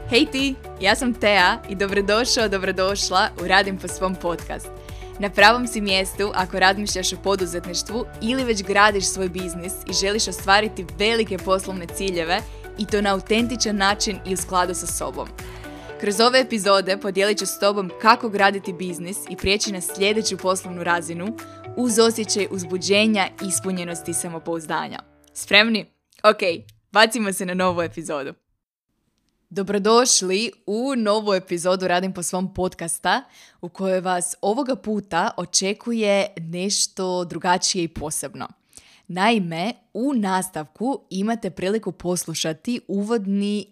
Hej ti, ja sam Tea i dobrodošla u Radim po svom podcast. Na pravom si mjestu ako razmišljaš o poduzetništvu ili već gradiš svoj biznis i želiš ostvariti velike poslovne ciljeve i to na autentičan način i u skladu sa sobom. Kroz ove epizode podijelit ću s tobom kako graditi biznis i prijeći na sljedeću poslovnu razinu uz osjećaj uzbuđenja, ispunjenosti i samopouzdanja. Spremni? Ok, bacimo se na novu epizodu. Dobrodošli u novu epizodu Radim po svom podcasta u kojoj vas ovoga puta očekuje nešto drugačije i posebno. Naime, u nastavku imate priliku poslušati uvodni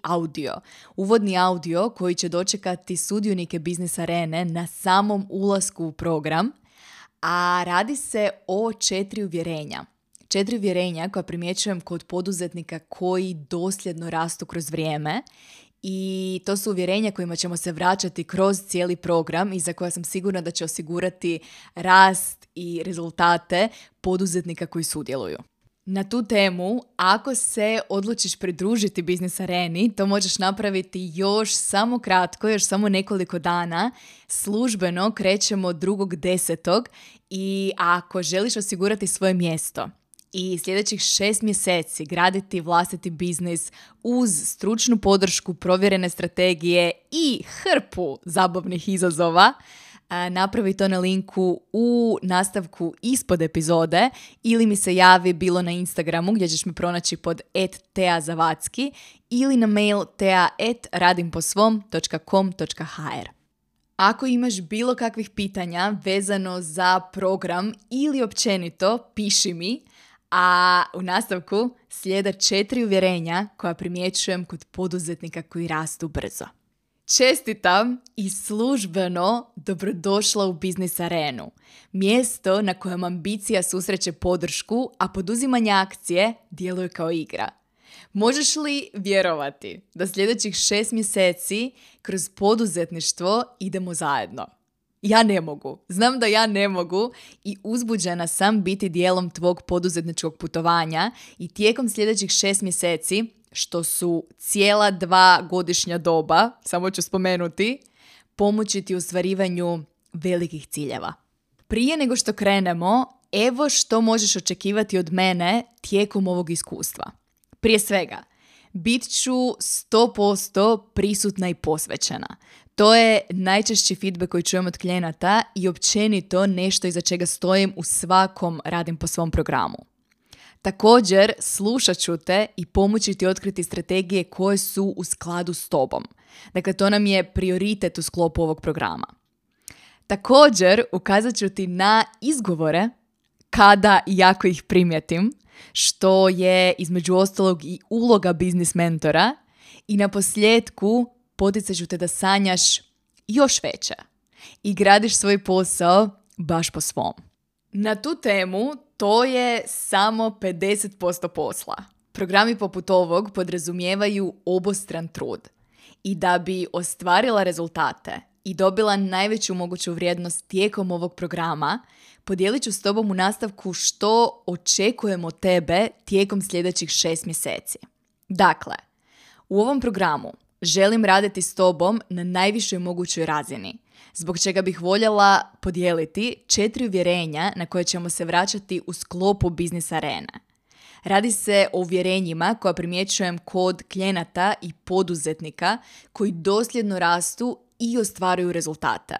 audio koji će dočekati sudionike Biznis Arene na samom ulasku u program, a radi se o 4 uvjerenja. 4 uvjerenja koja primjećujem kod poduzetnika koji dosljedno rastu kroz vrijeme i to su uvjerenja kojima ćemo se vraćati kroz cijeli program i za koja sam sigurna da će osigurati rast i rezultate poduzetnika koji sudjeluju. Na tu temu, ako se odlučiš pridružiti Biznis Areni, to možeš napraviti još samo kratko, još samo nekoliko dana. Službeno krećemo 2.10. i ako želiš osigurati svoje mjesto i sljedećih 6 mjeseci graditi vlastiti biznis uz stručnu podršku, provjerene strategije i hrpu zabavnih izazova, napravi to na linku u nastavku ispod epizode ili mi se javi bilo na Instagramu gdje ćeš me pronaći pod @teazavacki ili na mail tea@radimposvom.com.hr. Ako imaš bilo kakvih pitanja vezano za program ili općenito, piši mi, a u nastavku slijede 4 uvjerenja koja primjećujem kod poduzetnika koji rastu brzo. Čestitam i službeno dobrodošla u Biznis Arenu, mjesto na kojem ambicija susreće podršku, a poduzimanje akcije djeluje kao igra. Možeš li vjerovati da sljedećih 6 mjeseci kroz poduzetništvo idemo zajedno? Ja ne mogu. Znam da ja ne mogu i uzbuđena sam biti dijelom tvog poduzetničkog putovanja i tijekom sljedećih 6 mjeseci, što su cijela 2 godišnja doba, samo ću spomenuti, pomoći ti u ostvarivanju velikih ciljeva. Prije nego što krenemo, evo što možeš očekivati od mene tijekom ovog iskustva. Prije svega, bit ću 100% prisutna i posvećena. To je najčešći feedback koji čujem od klijenata i općenito nešto iza čega stojim u svakom Radim po svom programu. Također, slušat ću te i pomoći ti otkriti strategije koje su u skladu s tobom. Dakle, to nam je prioritet u sklopu ovog programa. Također, ukazat ću ti na izgovore kada i ako ih primijetim, što je između ostalog i uloga biznis mentora i na posljedku poticat ću te da sanjaš još veće i gradiš svoj posao baš po svom. Na tu temu to je samo 50% posla. Programi poput ovog podrazumijevaju obostran trud i da bi ostvarila rezultate i dobila najveću moguću vrijednost tijekom ovog programa, podijelit ću s tobom u nastavku što očekujem od tebe tijekom sljedećih 6 mjeseci. Dakle, u ovom programu želim raditi s tobom na najvišoj mogućoj razini, zbog čega bih voljela podijeliti 4 uvjerenja na koje ćemo se vraćati u sklopu Biznis Arene. Radi se o uvjerenjima koja primjećujem kod klijenata i poduzetnika koji dosljedno rastu i ostvaruju rezultate.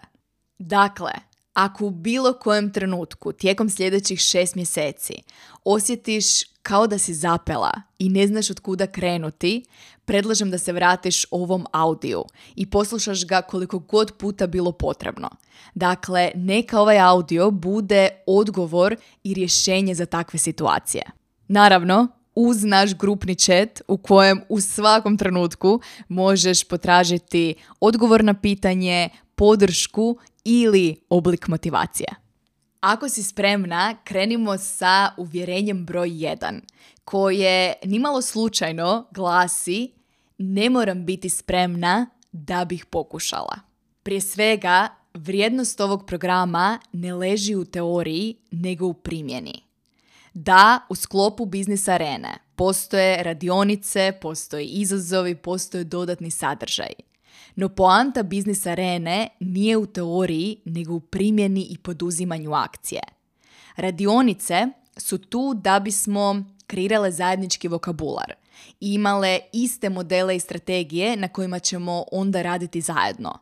Dakle, ako u bilo kojem trenutku tijekom sljedećih 6 mjeseci osjetiš kao da si zapela i ne znaš od kuda krenuti, predlažem da se vratiš ovom audiju i poslušaš ga koliko god puta bilo potrebno. Dakle, neka ovaj audio bude odgovor i rješenje za takve situacije. Naravno, uz naš grupni chat u kojem u svakom trenutku možeš potražiti odgovor na pitanje, podršku ili oblik motivacije. Ako si spremna, krenimo sa uvjerenjem broj 1, koje nimalo slučajno glasi: ne moram biti spremna da bih pokušala. Prije svega, vrijednost ovog programa ne leži u teoriji, nego u primjeni. Da, u sklopu Biznis Arene postoje radionice, postoje izazovi, postoje dodatni sadržaji. No poanta biznis arene nije u teoriji, nego u primjeni i poduzimanju akcije. Radionice su tu da bismo kreirale zajednički vokabular i imale iste modele i strategije na kojima ćemo onda raditi zajedno.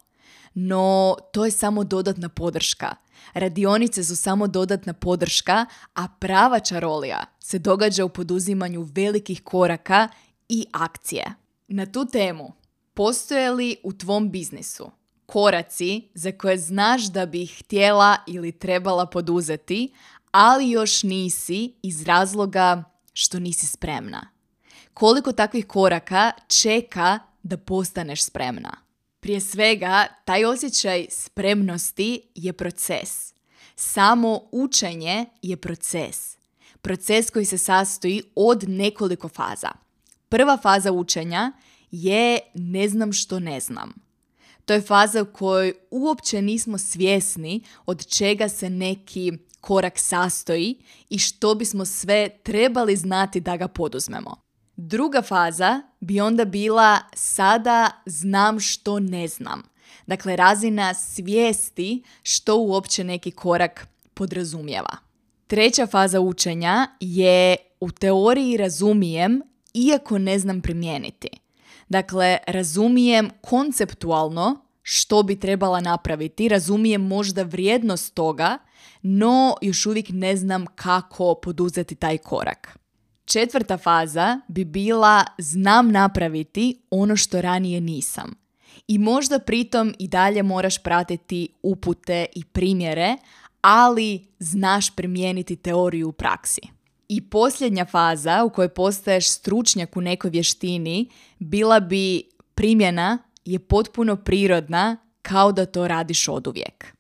No, to je samo dodatna podrška. Radionice su samo dodatna podrška, a prava čarolija se događa u poduzimanju velikih koraka i akcije. Na tu temu, postoje li u tvom biznisu koraci za koje znaš da bi ih htjela ili trebala poduzeti, ali još nisi iz razloga što nisi spremna? Koliko takvih koraka čeka da postaneš spremna? Prije svega, taj osjećaj spremnosti je proces. Samo učenje je proces. Proces koji se sastoji od nekoliko faza. Prva faza učenja je ne znam što ne znam. To je faza u kojoj uopće nismo svjesni od čega se neki korak sastoji i što bismo sve trebali znati da ga poduzmemo. Druga faza bi onda bila sada znam što ne znam. Dakle, razina svijesti što uopće neki korak podrazumijeva. Treća faza učenja je u teoriji razumijem iako ne znam primijeniti. Dakle, razumijem konceptualno što bi trebala napraviti, razumijem možda vrijednost toga, no još uvijek ne znam kako poduzeti taj korak. Četvrta faza bi bila znam napraviti ono što ranije nisam. I možda pritom i dalje moraš pratiti upute i primjere, ali znaš primijeniti teoriju u praksi. I posljednja faza u kojoj postaješ stručnjak u nekoj vještini bila bi primjena je potpuno prirodna kao da to radiš oduvijek.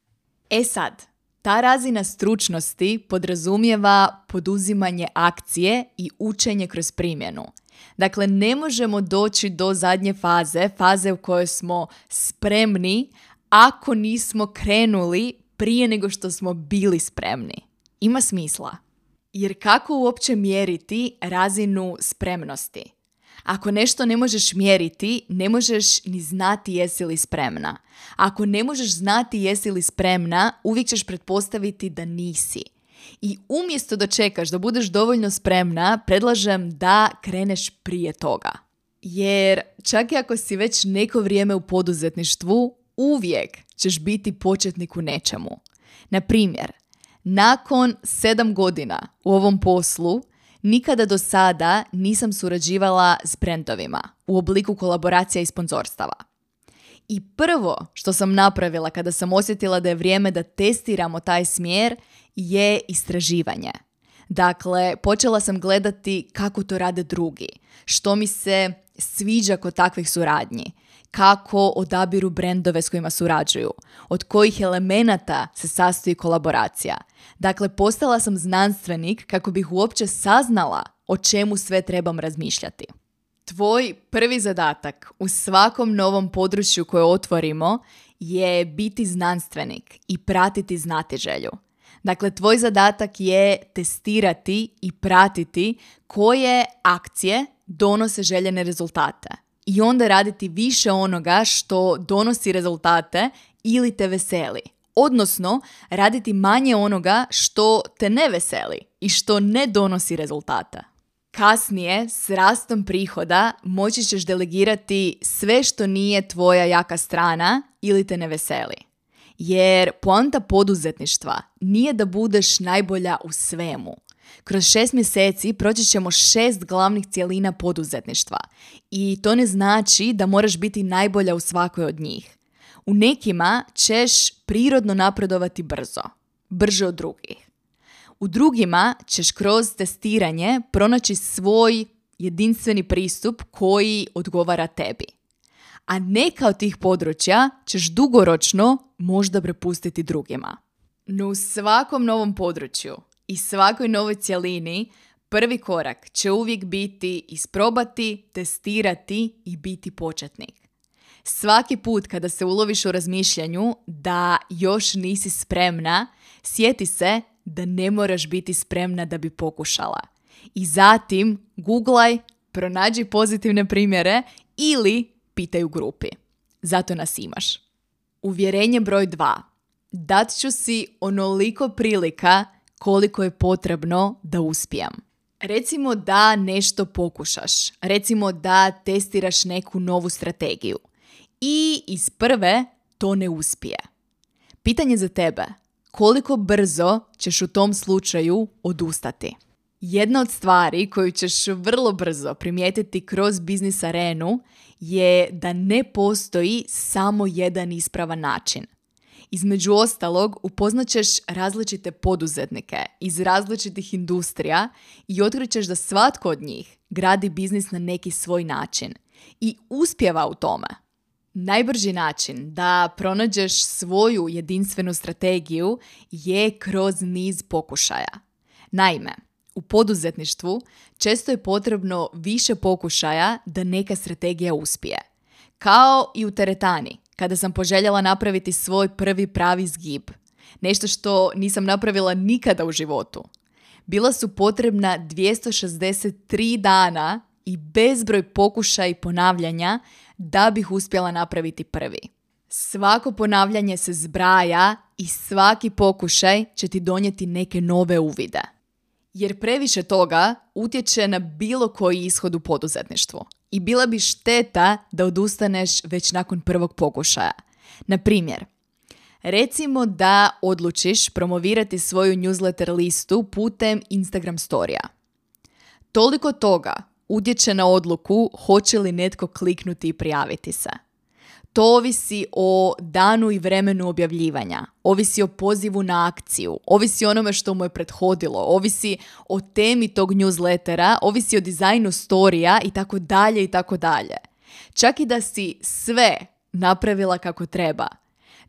E sad, ta razina stručnosti podrazumijeva poduzimanje akcije i učenje kroz primjenu. Dakle, ne možemo doći do zadnje faze u kojoj smo spremni ako nismo krenuli prije nego što smo bili spremni. Ima smisla. Jer kako uopće mjeriti razinu spremnosti? Ako nešto ne možeš mjeriti, ne možeš ni znati jesi li spremna. Ako ne možeš znati jesi li spremna, uvijek ćeš pretpostaviti da nisi. I umjesto da čekaš da budeš dovoljno spremna, predlažem da kreneš prije toga. Jer čak i ako si već neko vrijeme u poduzetništvu, uvijek ćeš biti početnik u nečemu. Na primjer, nakon 7 godina u ovom poslu, nikada do sada nisam surađivala s brendovima u obliku kolaboracija i sponzorstava. I prvo što sam napravila kada sam osjetila da je vrijeme da testiramo taj smjer je istraživanje. Dakle, počela sam gledati kako to rade drugi, što mi se sviđa kod takvih suradnji, kako odabiru brendove s kojima surađuju, od kojih elemenata se sastoji kolaboracija. Dakle, postala sam znanstvenik kako bih uopće saznala o čemu sve trebam razmišljati. Tvoj prvi zadatak u svakom novom području koje otvorimo je biti znanstvenik i pratiti znatiželju. Dakle, tvoj zadatak je testirati i pratiti koje akcije donose željene rezultate. I onda raditi više onoga što donosi rezultate ili te veseli. Odnosno, raditi manje onoga što te ne veseli i što ne donosi rezultate. Kasnije, s rastom prihoda, moći ćeš delegirati sve što nije tvoja jaka strana ili te ne veseli. Jer poanta poduzetništva nije da budeš najbolja u svemu. Kroz 6 mjeseci proći ćemo 6 glavnih cjelina poduzetništva i to ne znači da moraš biti najbolja u svakoj od njih. U nekima ćeš prirodno napredovati brže od drugih. U drugima ćeš kroz testiranje pronaći svoj jedinstveni pristup koji odgovara tebi. A neka od tih područja ćeš dugoročno možda prepustiti drugima. No u svakom novom području i svakoj novoj cjelini prvi korak će uvijek biti isprobati, testirati i biti početnik. Svaki put kada se uloviš u razmišljanju da još nisi spremna, sjeti se da ne moraš biti spremna da bi pokušala. I zatim googlaj, pronađi pozitivne primjere ili pitaj u grupi. Zato nas imaš. Uvjerenje broj 2. Dat ću si onoliko prilika koliko je potrebno da uspijem. Recimo da nešto pokušaš. Recimo da testiraš neku novu strategiju. I iz prve to ne uspije. Pitanje za tebe. Koliko brzo ćeš u tom slučaju odustati? Jedna od stvari koju ćeš vrlo brzo primijetiti kroz biznis arenu je da ne postoji samo jedan ispravan način. Između ostalog, upoznaćeš različite poduzetnike iz različitih industrija i otkrićeš da svatko od njih gradi biznis na neki svoj način i uspijeva u tome. Najbrži način da pronađeš svoju jedinstvenu strategiju je kroz niz pokušaja. Naime, u poduzetništvu često je potrebno više pokušaja da neka strategija uspije. Kao i u teretani, kada sam poželjela napraviti svoj prvi pravi zgib. Nešto što nisam napravila nikada u životu. Bila su potrebna 263 dana i bezbroj pokušaja i ponavljanja da bih uspjela napraviti prvi. Svako ponavljanje se zbraja i svaki pokušaj će ti donijeti neke nove uvide. Jer previše toga utječe na bilo koji ishod u poduzetništvu. I bila bi šteta da odustaneš već nakon prvog pokušaja. Na primjer, recimo da odlučiš promovirati svoju newsletter listu putem Instagram storija. Toliko toga utječe na odluku hoće li netko kliknuti i prijaviti se. To ovisi o danu i vremenu objavljivanja, ovisi o pozivu na akciju, ovisi o onome što mu je prethodilo, ovisi o temi tog newslettera, ovisi o dizajnu storija i tako dalje i tako dalje. Čak i da si sve napravila kako treba,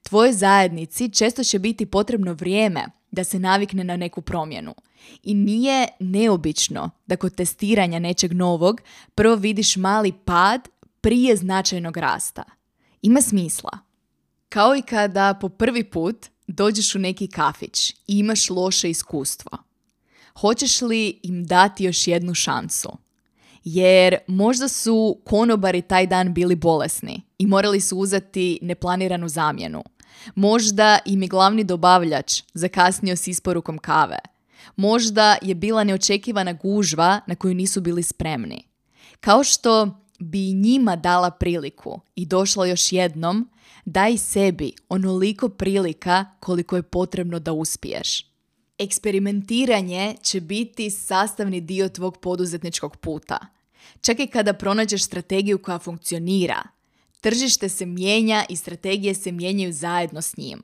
tvojoj zajednici često će biti potrebno vrijeme da se navikne na neku promjenu. I nije neobično da kod testiranja nečeg novog prvo vidiš mali pad prije značajnog rasta. Ima smisla. Kao i kada po prvi put dođeš u neki kafić i imaš loše iskustvo. Hoćeš li im dati još jednu šansu? Jer možda su konobari taj dan bili bolesni i morali su uzeti neplaniranu zamjenu. Možda im je glavni dobavljač zakasnio s isporukom kave. Možda je bila neočekivana gužva na koju nisu bili spremni. Kao što bi i njima dala priliku i došla još jednom, daj sebi onoliko prilika koliko je potrebno da uspiješ. Eksperimentiranje će biti sastavni dio tvog poduzetničkog puta. Čak i kada pronađeš strategiju koja funkcionira, tržište se mijenja i strategije se mijenjaju zajedno s njim.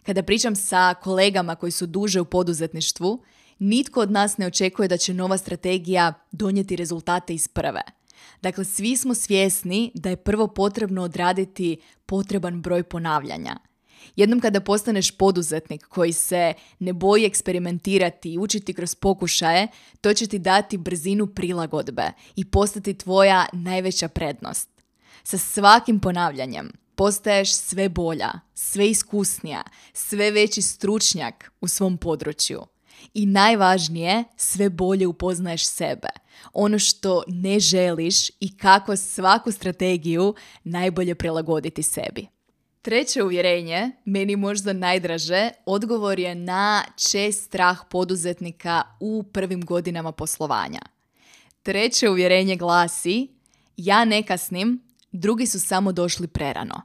Kada pričam sa kolegama koji su duže u poduzetništvu, nitko od nas ne očekuje da će nova strategija donijeti rezultate iz prve. Dakle, svi smo svjesni da je prvo potrebno odraditi potreban broj ponavljanja. Jednom kada postaneš poduzetnik koji se ne boji eksperimentirati i učiti kroz pokušaje, to će ti dati brzinu prilagodbe i postati tvoja najveća prednost. Sa svakim ponavljanjem postaješ sve bolja, sve iskusnija, sve veći stručnjak u svom području. I najvažnije, sve bolje upoznaješ sebe, ono što ne želiš i kako svaku strategiju najbolje prilagoditi sebi. Treće uvjerenje, meni možda najdraže, odgovor je na čest strah poduzetnika u prvim godinama poslovanja. Treće uvjerenje glasi, ja ne kasnim, drugi su samo došli prerano.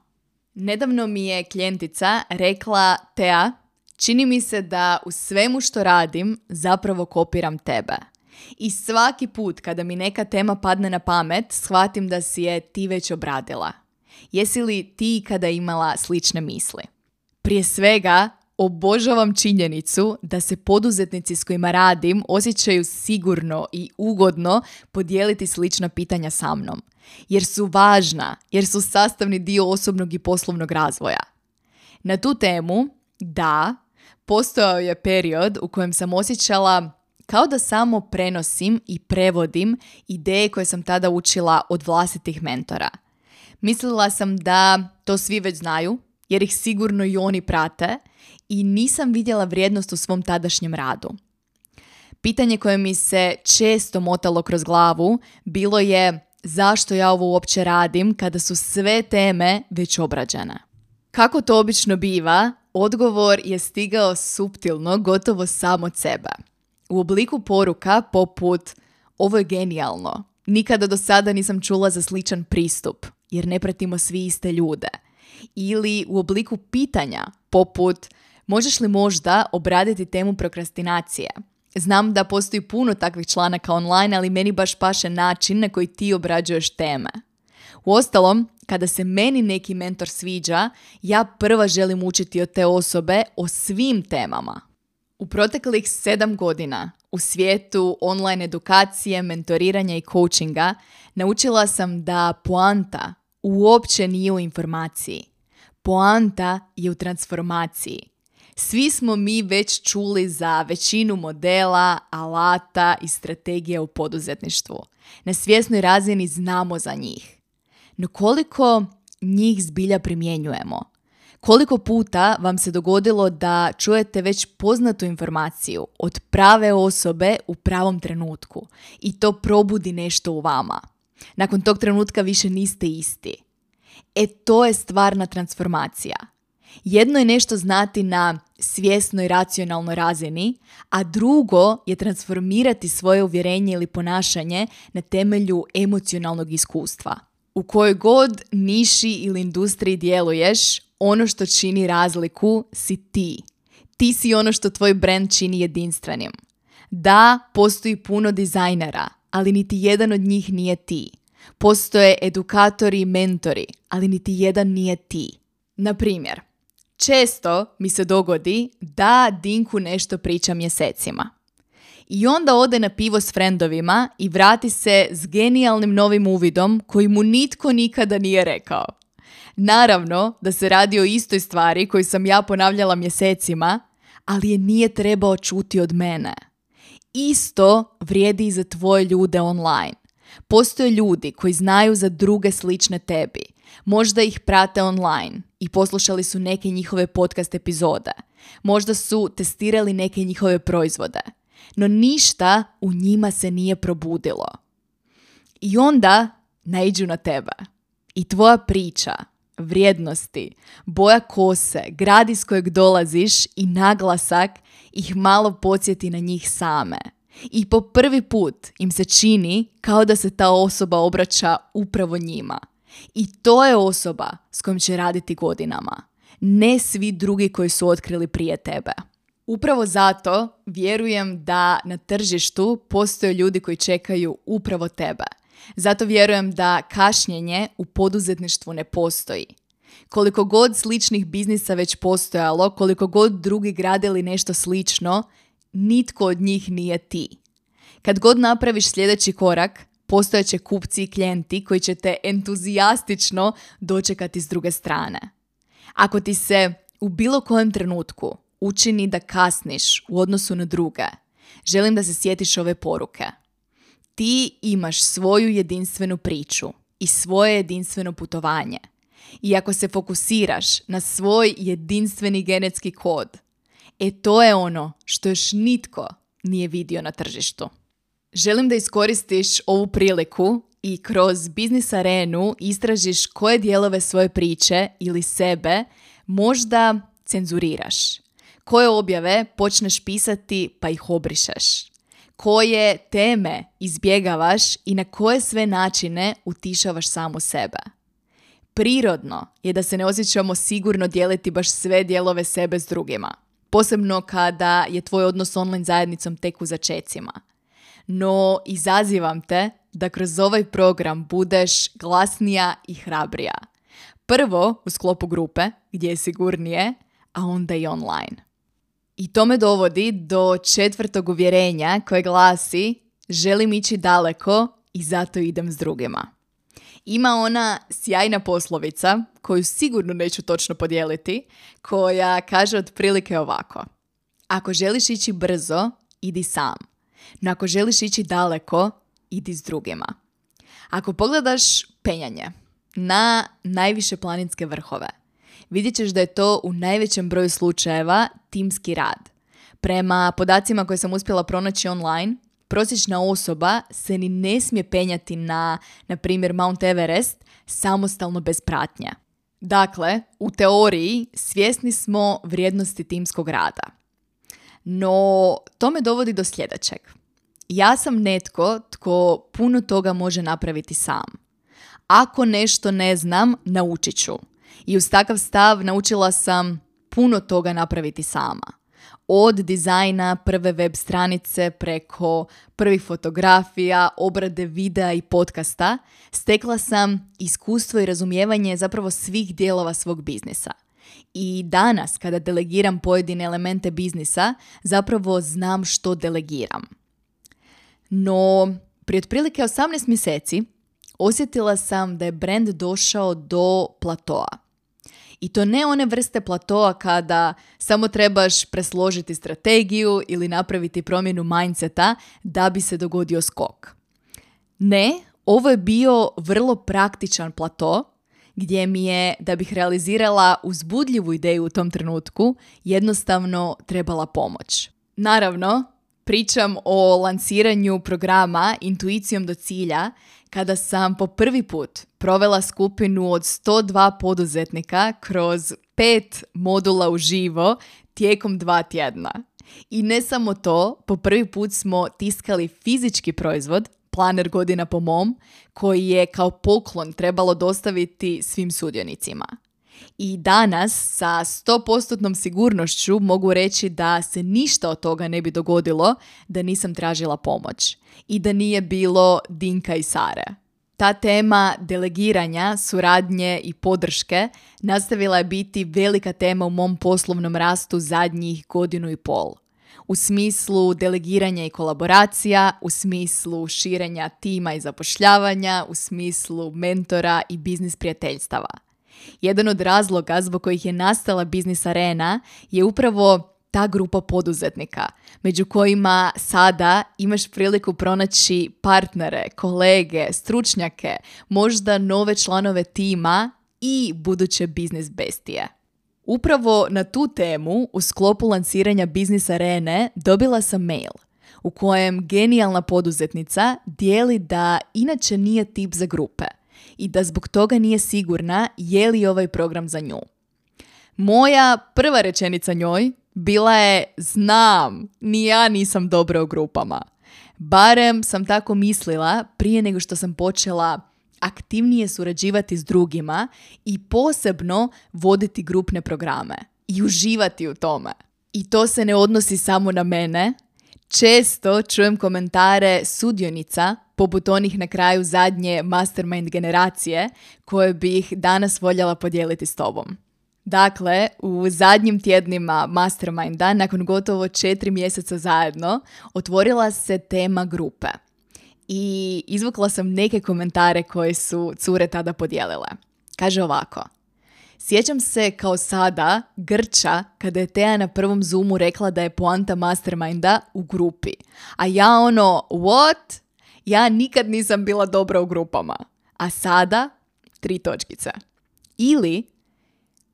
Nedavno mi je klijentica rekla, Tea, čini mi se da u svemu što radim zapravo kopiram tebe. I svaki put kada mi neka tema padne na pamet, shvatim da si je ti već obradila. Jesi li ti kada imala slične misli? Prije svega, obožavam činjenicu da se poduzetnici s kojima radim osjećaju sigurno i ugodno podijeliti slična pitanja sa mnom. Jer su važna, jer su sastavni dio osobnog i poslovnog razvoja. Na tu temu, da, postojao je period u kojem sam osjećala kao da samo prenosim i prevodim ideje koje sam tada učila od vlastitih mentora. Mislila sam da to svi već znaju, jer ih sigurno i oni prate i nisam vidjela vrijednost u svom tadašnjem radu. Pitanje koje mi se često motalo kroz glavu bilo je zašto ja ovo uopće radim kada su sve teme već obrađene. Kako to obično biva, odgovor je stigao suptilno, gotovo sam od sebe. U obliku poruka poput ovo je genijalno, nikada do sada nisam čula za sličan pristup, jer ne pratimo svi iste ljude. Ili u obliku pitanja poput možeš li možda obraditi temu prokrastinacije? Znam da postoji puno takvih članaka online, ali meni baš paše način na koji ti obrađuješ teme. Uostalom, kada se meni neki mentor sviđa, ja prva želim učiti od te osobe o svim temama. U proteklih 7 godina u svijetu online edukacije, mentoriranja i coachinga naučila sam da poanta uopće nije u informaciji. Poanta je u transformaciji. Svi smo mi već čuli za većinu modela, alata i strategija u poduzetništvu. Na svjesnoj razini znamo za njih. No koliko njih zbilja primjenjujemo? Koliko puta vam se dogodilo da čujete već poznatu informaciju od prave osobe u pravom trenutku i to probudi nešto u vama? Nakon tog trenutka više niste isti. To je stvarna transformacija. Jedno je nešto znati na svjesnoj racionalnoj razini, a drugo je transformirati svoje uvjerenje ili ponašanje na temelju emocionalnog iskustva. U kojoj god niši ili industriji djeluješ, ono što čini razliku si ti. Ti si ono što tvoj brand čini jedinstvenim. Da, postoji puno dizajnera, ali niti jedan od njih nije ti. Postoje edukatori i mentori, ali niti jedan nije ti. Na primjer, često mi se dogodi da Dinku nešto priča mjesecima. I onda ode na pivo s frendovima i vrati se s genijalnim novim uvidom koji mu nitko nikada nije rekao. Naravno da se radi o istoj stvari koju sam ja ponavljala mjesecima, ali je nije trebao čuti od mene. Isto vrijedi i za tvoje ljude online. Postoje ljudi koji znaju za druge slične tebi. Možda ih prate online i poslušali su neke njihove podcast epizode. Možda su testirali neke njihove proizvode. No ništa u njima se nije probudilo. I onda naiđu na tebe. I tvoja priča, vrijednosti, boja kose, grad iz kojeg dolaziš i naglasak ih malo podsjeti na njih same. I po prvi put im se čini kao da se ta osoba obraća upravo njima. I to je osoba s kojom će raditi godinama. Ne svi drugi koji su otkrili prije tebe. Upravo zato vjerujem da na tržištu postoje ljudi koji čekaju upravo tebe. Zato vjerujem da kašnjenje u poduzetništvu ne postoji. Koliko god sličnih biznisa već postojalo, koliko god drugi gradili nešto slično, nitko od njih nije ti. Kad god napraviš sljedeći korak, postojeće kupci i klijenti koji će te entuzijastično dočekati s druge strane. Ako ti se u bilo kojem trenutku učini da kasniš u odnosu na druge, želim da se sjetiš ove poruke. Ti imaš svoju jedinstvenu priču i svoje jedinstveno putovanje. I ako se fokusiraš na svoj jedinstveni genetski kod, to je ono što još nitko nije vidio na tržištu. Želim da iskoristiš ovu priliku i kroz biznis arenu istražiš koje dijelove svoje priče ili sebe možda cenzuriraš. Koje objave počneš pisati pa ih obrišeš. Koje teme izbjegavaš i na koje sve načine utišavaš samu sebe. Prirodno je da se ne osjećamo sigurno dijeliti baš sve dijelove sebe s drugima. Posebno kada je tvoj odnos s online zajednicom tek u začecima. No, izazivam te da kroz ovaj program budeš glasnija i hrabrija. Prvo u sklopu grupe, gdje je sigurnije, a onda i online. I to me dovodi do 4. uvjerenja koje glasi: želim ići daleko i zato idem s drugima. Ima ona sjajna poslovica, koju sigurno neću točno podijeliti, koja kaže otprilike ovako: ako želiš ići brzo, idi sam. No ako želiš ići daleko, idi s drugima. Ako pogledaš penjanje na najviše planinske vrhove, vidjet ćeš da je to u najvećem broju slučajeva timski rad. Prema podacima koje sam uspjela pronaći online, prosječna osoba se ni ne smije penjati na primjer, Mount Everest samostalno bez pratnje. Dakle, u teoriji svjesni smo vrijednosti timskog rada. No, to me dovodi do sljedećeg. Ja sam netko tko puno toga može napraviti sam. Ako nešto ne znam, naučit ću. I uz takav stav naučila sam puno toga napraviti sama. Od dizajna prve web stranice preko prvih fotografija, obrade videa i podcasta, stekla sam iskustvo i razumijevanje zapravo svih dijelova svog biznisa. I danas, kada delegiram pojedine elemente biznisa, zapravo znam što delegiram. No, prije otprilike 18 mjeseci osjetila sam da je brand došao do platoa. I to ne one vrste platoa kada samo trebaš presložiti strategiju ili napraviti promjenu mindseta da bi se dogodio skok. Ne, ovo je bio vrlo praktičan plato gdje mi je, da bih realizirala uzbudljivu ideju u tom trenutku, jednostavno trebala pomoć. Naravno, pričam o lansiranju programa Intuicijom do cilja, kada sam po prvi put provela skupinu od 102 poduzetnika kroz 5 modula uživo tijekom 2 tjedna. I ne samo to, po prvi put smo tiskali fizički proizvod, planer godina po mom, koji je kao poklon trebalo dostaviti svim sudionicima. I danas sa 100% sigurnošću mogu reći da se ništa od toga ne bi dogodilo da nisam tražila pomoć i da nije bilo Dinka i Sare. Ta tema delegiranja, suradnje i podrške nastavila je biti velika tema u mom poslovnom rastu zadnjih 1.5 godina. U smislu delegiranja i kolaboracija, u smislu širenja tima i zapošljavanja, u smislu mentora i biznis prijateljstava. Jedan od razloga zbog kojih je nastala Biznis Arena je upravo ta grupa poduzetnika, među kojima sada imaš priliku pronaći partnere, kolege, stručnjake, možda nove članove tima i buduće biznis bestije. Upravo na tu temu, u sklopu lansiranja Biznis Arene, dobila sam mail u kojem genijalna poduzetnica dijeli da inače nije tip za grupe i da zbog toga nije sigurna je li ovaj program za nju. Moja prva rečenica njoj bila je: znam, ni ja nisam dobra u grupama. Barem sam tako mislila prije nego što sam počela aktivnije surađivati s drugima i posebno voditi grupne programe i uživati u tome. I to se ne odnosi samo na mene. Često čujem komentare sudionica, poput onih na kraju zadnje Mastermind generacije, koje bih danas voljela podijeliti s tobom. Dakle, u zadnjim tjednima Masterminda, nakon gotovo 4 mjeseca zajedno, otvorila se tema grupe. I izvukla sam neke komentare koje su cure tada podijelile. Kaže ovako: sjećam se kao sada grča kada je Teja na prvom Zoomu rekla da je poanta Masterminda u grupi. A ja what? Ja nikad nisam bila dobra u grupama. A sada 3 točkice. Ili,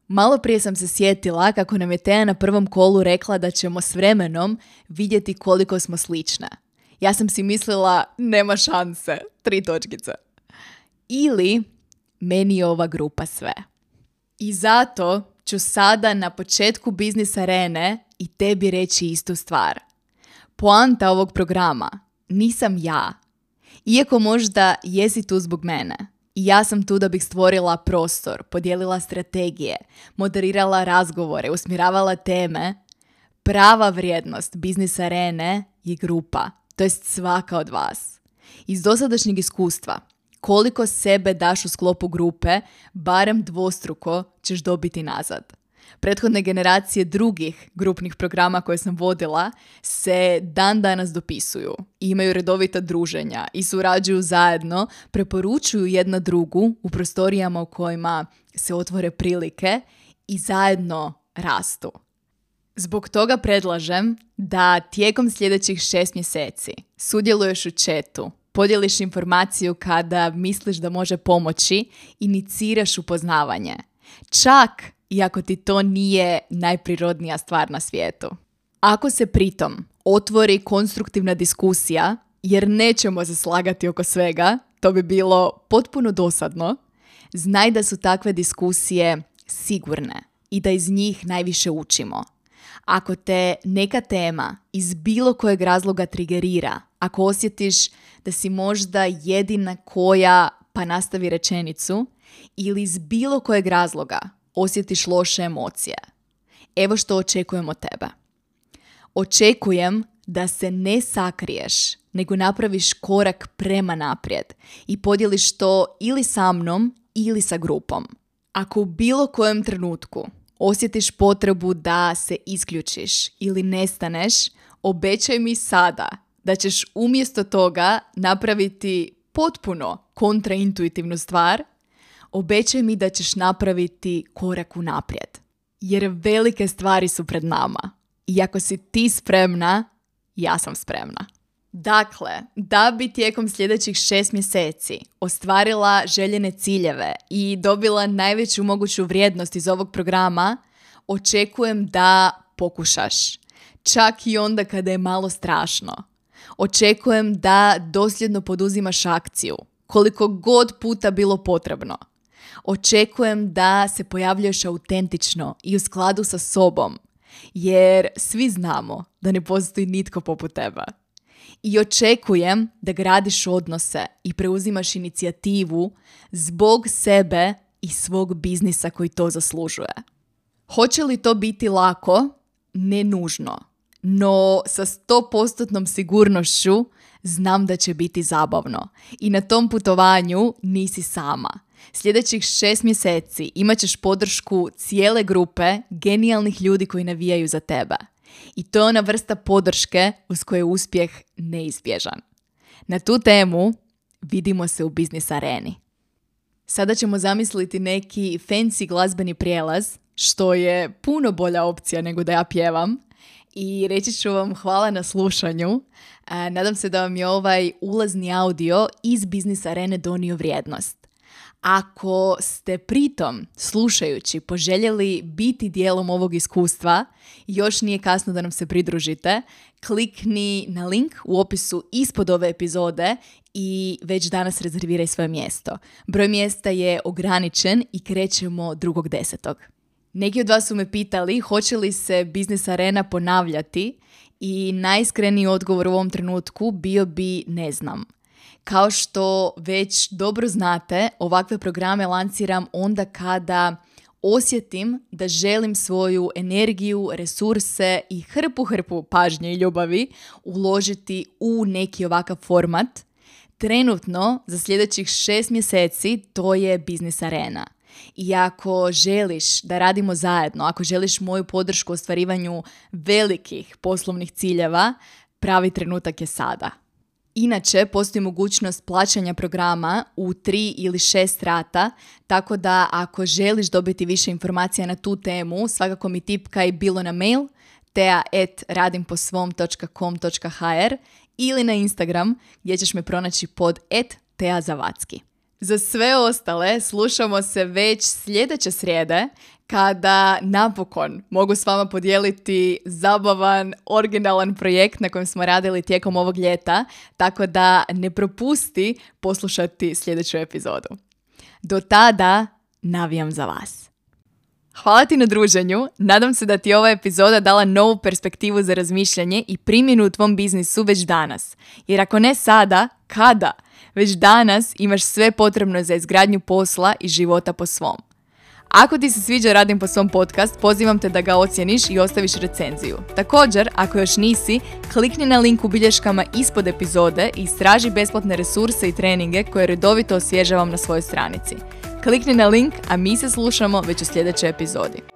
malo prije sam se sjetila kako nam je Teja na prvom kolu rekla da ćemo s vremenom vidjeti koliko smo slične. Ja sam si mislila, nema šanse, 3 točkice. Ili, meni je ova grupa sve. I zato ću sada na početku Biznis Arene i tebi reći istu stvar. Poanta ovog programa nisam ja. Iako možda jesi tu zbog mene. I ja sam tu da bih stvorila prostor, podijelila strategije, moderirala razgovore, usmjeravala teme. Prava vrijednost Biznis Arene je grupa, to jest svaka od vas. Iz dosadašnjeg iskustva, koliko sebe daš u sklopu grupe, barem dvostruko ćeš dobiti nazad. Prethodne generacije drugih grupnih programa koje sam vodila se dan danas dopisuju, imaju redovita druženja i surađuju zajedno, preporučuju jedna drugu u prostorijama u kojima se otvore prilike i zajedno rastu. Zbog toga predlažem da tijekom sljedećih 6 mjeseci sudjeluješ u chatu, podijeliš informaciju kada misliš da može pomoći, iniciraš upoznavanje. Čak i ako ti to nije najprirodnija stvar na svijetu. Ako se pritom otvori konstruktivna diskusija, jer nećemo se slagati oko svega, to bi bilo potpuno dosadno, znaj da su takve diskusije sigurne i da iz njih najviše učimo. Ako te neka tema iz bilo kojeg razloga trigerira, ako osjetiš da si možda jedina koja pa nastavi rečenicu ili iz bilo kojeg razloga osjetiš loše emocije, evo što očekujem od tebe. Očekujem da se ne sakriješ, nego napraviš korak prema naprijed i podijeliš to ili sa mnom ili sa grupom. Ako u bilo kojem trenutku osjetiš potrebu da se isključiš ili nestaneš, obećaj mi sada da ćeš umjesto toga napraviti potpuno kontraintuitivnu stvar. Obećaj mi da ćeš napraviti korak unaprijed. Jer velike stvari su pred nama. I ako si ti spremna, ja sam spremna. Dakle, da bi tijekom sljedećih 6 mjeseci ostvarila željene ciljeve i dobila najveću moguću vrijednost iz ovog programa, očekujem da pokušaš. Čak i onda kada je malo strašno. Očekujem da dosljedno poduzimaš akciju, koliko god puta bilo potrebno. Očekujem da se pojavljuješ autentično i u skladu sa sobom, jer svi znamo da ne postoji nitko poput tebe. I očekujem da gradiš odnose i preuzimaš inicijativu zbog sebe i svog biznisa koji to zaslužuje. Hoće li to biti lako? Ne nužno. No sa 100% sigurnošću znam da će biti zabavno. I na tom putovanju nisi sama. Sljedećih 6 mjeseci imat ćeš podršku cijele grupe genijalnih ljudi koji navijaju za tebe. I to je ona vrsta podrške uz koju je uspjeh neizbježan. Na tu temu vidimo se u Biznis Areni. Sada ćemo zamisliti neki fancy glazbeni prijelaz, što je puno bolja opcija nego da ja pjevam. I reći ću vam hvala na slušanju. Nadam se da vam je ovaj ulazni audio iz Biznis Arene donio vrijednost. Ako ste pritom, slušajući, poželjeli biti dijelom ovog iskustva, još nije kasno da nam se pridružite, klikni na link u opisu ispod ove epizode i već danas rezerviraj svoje mjesto. Broj mjesta je ograničen i krećemo 2.10. Neki od vas su me pitali hoće li se Biznis Arena ponavljati i najiskreniji odgovor u ovom trenutku bio bi ne znam. Kao što već dobro znate, ovakve programe lanciram onda kada osjetim da želim svoju energiju, resurse i hrpu pažnje i ljubavi uložiti u neki ovakav format. Trenutno, za sljedećih 6 mjeseci, to je Biznis Arena. I ako želiš da radimo zajedno, ako želiš moju podršku u ostvarivanju velikih poslovnih ciljeva, pravi trenutak je sada. Inače, postoji mogućnost plaćanja programa u 3 ili 6 rata, tako da ako želiš dobiti više informacija na tu temu, svakako mi tipkaj bilo na mail tea@radimposvom.com.hr ili na Instagram gdje ćeš me pronaći pod @teazavacki. Za sve ostale slušamo se već sljedeće srijede kada napokon mogu s vama podijeliti zabavan, originalan projekt na kojem smo radili tijekom ovog ljeta, tako da ne propusti poslušati sljedeću epizodu. Do tada navijam za vas. Hvala ti na druženju, nadam se da ti je ova epizoda dala novu perspektivu za razmišljanje i primjenu u tvom biznisu već danas. Jer ako ne sada, kada? Već danas imaš sve potrebno za izgradnju posla i života po svom. Ako ti se sviđa Radim po svom podcast, pozivam te da ga ocijeniš i ostaviš recenziju. Također, ako još nisi, klikni na link u bilješkama ispod epizode i istraži besplatne resurse i treninge koje redovito osvježavam na svojoj stranici. Klikni na link, a mi se slušamo već u sljedećoj epizodi.